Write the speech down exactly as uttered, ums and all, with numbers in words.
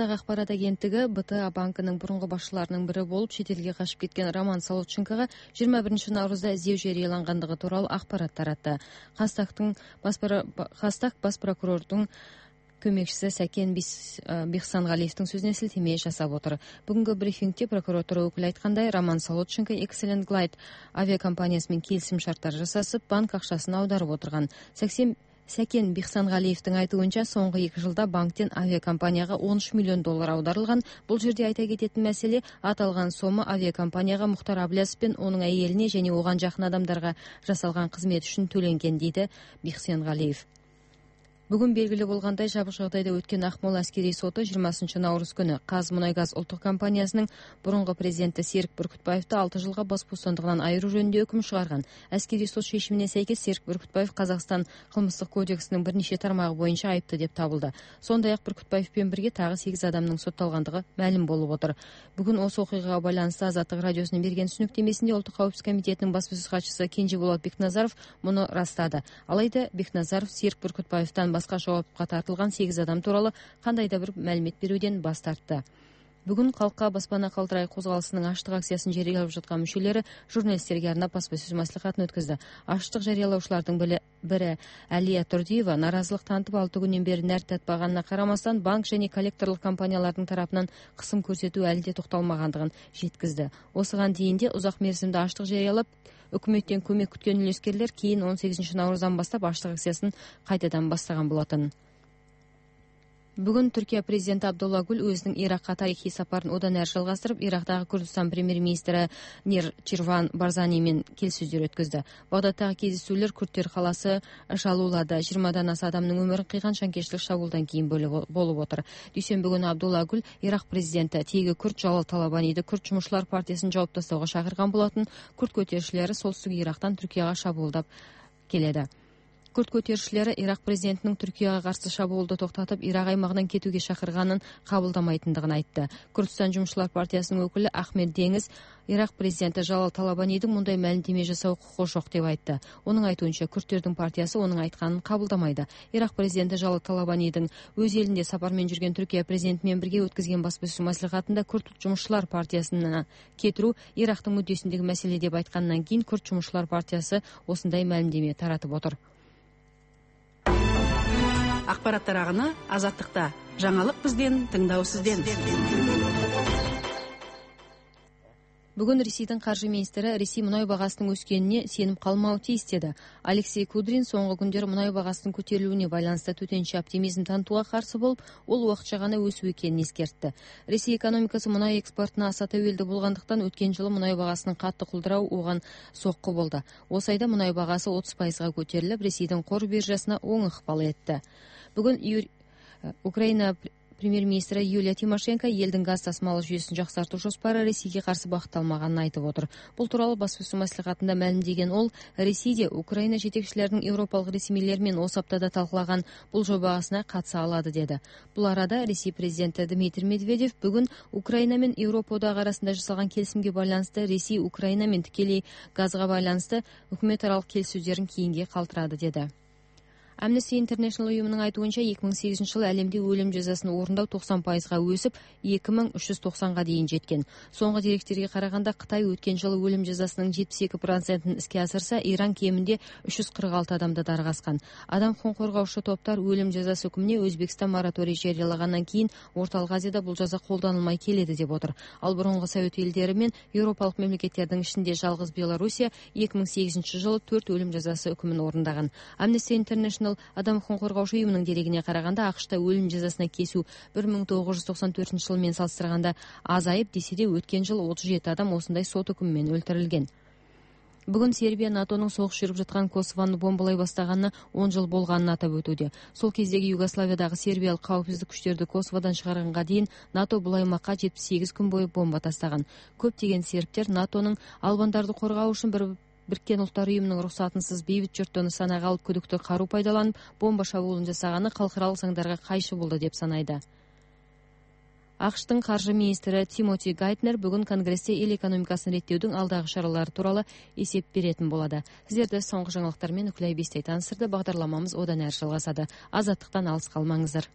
Франциядагы акпарат агенттиги Б Т А банкынын мурунку башчыларынын бири болуп чет элге качып кеткен Роман Солодченкого жыйырма биринчи наурузда издөө жарыялангандыгы тууралуу акпарат таратты. Хастактын Хастак бас прокурордун көмөкчүсү Сакен Бихсангалиевдин сөзүнө силтеме жасап отур. Бүгүнкү брифингде прокуратура өкүлү айткандай, Роман Солодченко Excellent Glide авиакомпаниясы менен келисим шарттар жасасып, банк акчасын аударып отурган. Сакен Бихсангалиевдин айтуунча, соңку эки жылда банктен авиакомпанияга он үч миллион доллар аударылган. Бул жерде айта кететін маселе, аталган сома авиакомпанияга Мухтар Аблязовпен онун айелине және оган жакын адамдарга жасалган кызмет үчүн төленген, дейди Бихсангалиев. Бүгүн белгилүү болгондой, жабык жагдайда өткөн Акмола аскерий соту жыйырмасынчы наурыз күнү Казмунайгаз улуттук компаниясынын мурунку президенти Серик Бүркүтбаевди алты жылга бас бостандыгынан айыруу жөнүндө өкүм чыгарган. Аскерий сот шешимине сейкес Серик Бүркүтбаев Казакстан кылмыштык кодексинин бир нече тармагы боюнча айыпты деп табылды. Сондай ак Бүркүтбаев менен бирге тагы сегиз адамдын соттолгондугу маалым болуп отур. Бүгүн осы окуяга байланыштуу Азаттык радиосунун берген түшүнүктемесинде Улуттук кабапсыздык комитетинин баспасөз катчысы Кенжеболот Бекназаров муну ырастады. Алайда Бекназаров Серик Бүркүтбаевден башка жоопко тартылган сегиз адам тууралуу кандай да бир маалимет берүүдөн бас тартты. Бүгүн Калкка баспана калтырай козголосунун аштык акциясын жарыялап жаткан мүчөлөрү журналисттерге арнап баспасөз маслихатын өткөздү. Аштык жарыялоочулардын бири Алия Турдиева нааразылык тантып алты күндөн бери нәр татпаганына карамастан банк және коллекторлук компаниялардын тарапынан кысым көрсөтүү әлі де токтолмагандыгын жеткизди. Осыган дейин де узак мерзимде аштык жарыялап өкмөттөн көмөк күткөн үлескерлер кийин он сегизинчи науруздан баштап аштык акциясын кайтадан баштаган болотун. Бүгүн Түркия президенти Абдулла Гүл өзүнүн Иракка тарыхый сапарын одан әрі жалгастырып, Ирактагы Курдистан премьер-министри Нир Чирван Барзани менен келиссөздөр өткөздү. Багдадтагы кездесүүлөр Күрттөр калаасы Шалулада жыйырмадан аса адамдын өмүрүн кыйган шаңкечтик шабуулдан кийин болуп отур. Дүйшөмбү күнү Абдулла Гүл Ирак президенти теги Күрт Жалал Талабаниди Күрт жумушчулар партиясын жауып тастоого чакырган болотун. Күрт көтөрүшчүлөрү солтүстүк Ирактан Түркияга шабуулдап келеді. Күрт көтөрүшчүлөрү Ирак президентинин Түркияга каршы шабуулду токтотуп, Ирак аймагынан кетүүгө чакырганын кабылдамайтындыгын айтты. Күртстан жумушчулар партиясынын өкүлү Ахмед Деңиз Ирак президенти Жалал Талабанидин мындай маалимдеме жасоо укугу жок деп айтты. Онун айтуунча, күрттөрдүн партиясы онун айтканын кабылдамайды. Ирак президенти Жалал Талабанидин өз элинде сапар менен жүргөн Түркия президенти менен бирге өткөзгөн баспасөз маслихатында күрт жумушчулар партиясына кетирүү Ирактын мүддөсүндөгү маселе деп айткандан кийин Күрт жумушчулар партиясы осундай маалимдеме таратып отур. Акпараттар агыны Азаттыкта. Жаңылык бизден, тыңдоо сизден. Бүгүн Ресейдин каржы министри Ресей мунай багасынын өскөнүнө сенип калмау тийиз деди. Алексей Кудрин соңку күндөр мунай багасынын көтөрүлүүнү байланыштуу төтөнчү оптимизм тантууга каршы болуп, ол убакча гана өсүү экенин эскертти. Ресей экономикасы мунай экспортуна аса төбөлдүү болгондуктан өткөн жылы мунай багасынын катты кулдуроо уган сокку болду. Осы айда мунай багасы отуз пайызга көтөрүлүп, Ресейдин кор биржасына оң ыкпал этти. Бүгүн Украина премьер-министри Юлия Тимошенко элдин газ тасымалы жүйөсүн жаксартуу жоспары Ресейге каршы багытталмаганын айтып отур. Бул тууралуу баспасөз маслихатында маалимдеген ол, Ресейде Украина жетекчилеринин европалык ресмийлер менен осы аптада талкулаган бул жобасына катыша алады деди. Бул арада Ресей президенти Дмитрий Медведев бүгүн Украина менен Европа одагы арасында жасалган келисимге байланыштуу Ресей Украина менен тикелей газга байланыштуу өкмөт аралык келиссөздөрүн кийинге калтырады деди. Amnesty International уюмунун айтуунча эки миң сегизинчи жылы әлемде өлүм жазасын орундоо токсон пайызга өсүп, эки миң үч жүз токсонго дейин жеткен. Соңку деректерге караганда Кытай өткөн жылы өлүм жазасынын жетимиш эки процентин иске асырса, Иран кеминде үч жүз кырк алты адамды даргаскан. Адам укугун коргоочу топтор өлүм жазасы өкүмүнө Өзбекстан мораторий жарыялагандан кийин Орталык Азияда бул жаза колдонулмай келеди деп отур. Ал мурунку Совет элдери менен Европалык мамлекеттердин ичинде жалгыз Белоруссия эки миң сегизинчи жылы төрт өлүм жазасы өкүмүн орундаган. Amnesty International Адам укугун коргоочу уюмунун дерегине караганда, АКШта өлүм жазасына кесүү бир миң тогуз жүз токсон төртүнчү жыл менен салыштырганда азайып, десе де өткөн жыл отуз жети адам осындай сот өкүмү менен өлтүрүлгөн. Бүгүн Сербия НАТОнун согуш жүрүп жаткан Косовону бомбалай баштаганына он жыл болгонун атап өтүүдө. Сол кездеги Югославиядагы сербиялык калпсыздык күчтөрдү Косоводон чыгарганга дейин НАТО бул аймакка жетимиш сегиз күн бою бомба тастаган. Көптөгөн сербтер НАТОнун албандарды коргоо үчүн бир Бириккен Улуттар уюмунун уруксатынсыз бейбит журттуну санага алып күдүктүү каруу пайдаланып, бомба шабуулун жасаганы калкыралык заңдарга кайшы болду деп санайды. АКШтын каржы министри Тимоти Гайтнер бүгүн Конгрессте эл экономикасын реттөөдүн алдагы чаралары тууралуу эсеп беретин болот. Сиздерди соңку жаңылыктар менен Үкүлай Бестей таанышырды. Багдарламамыз одан әрі жалгасады. Азаттыктан алыс калмаңыздар.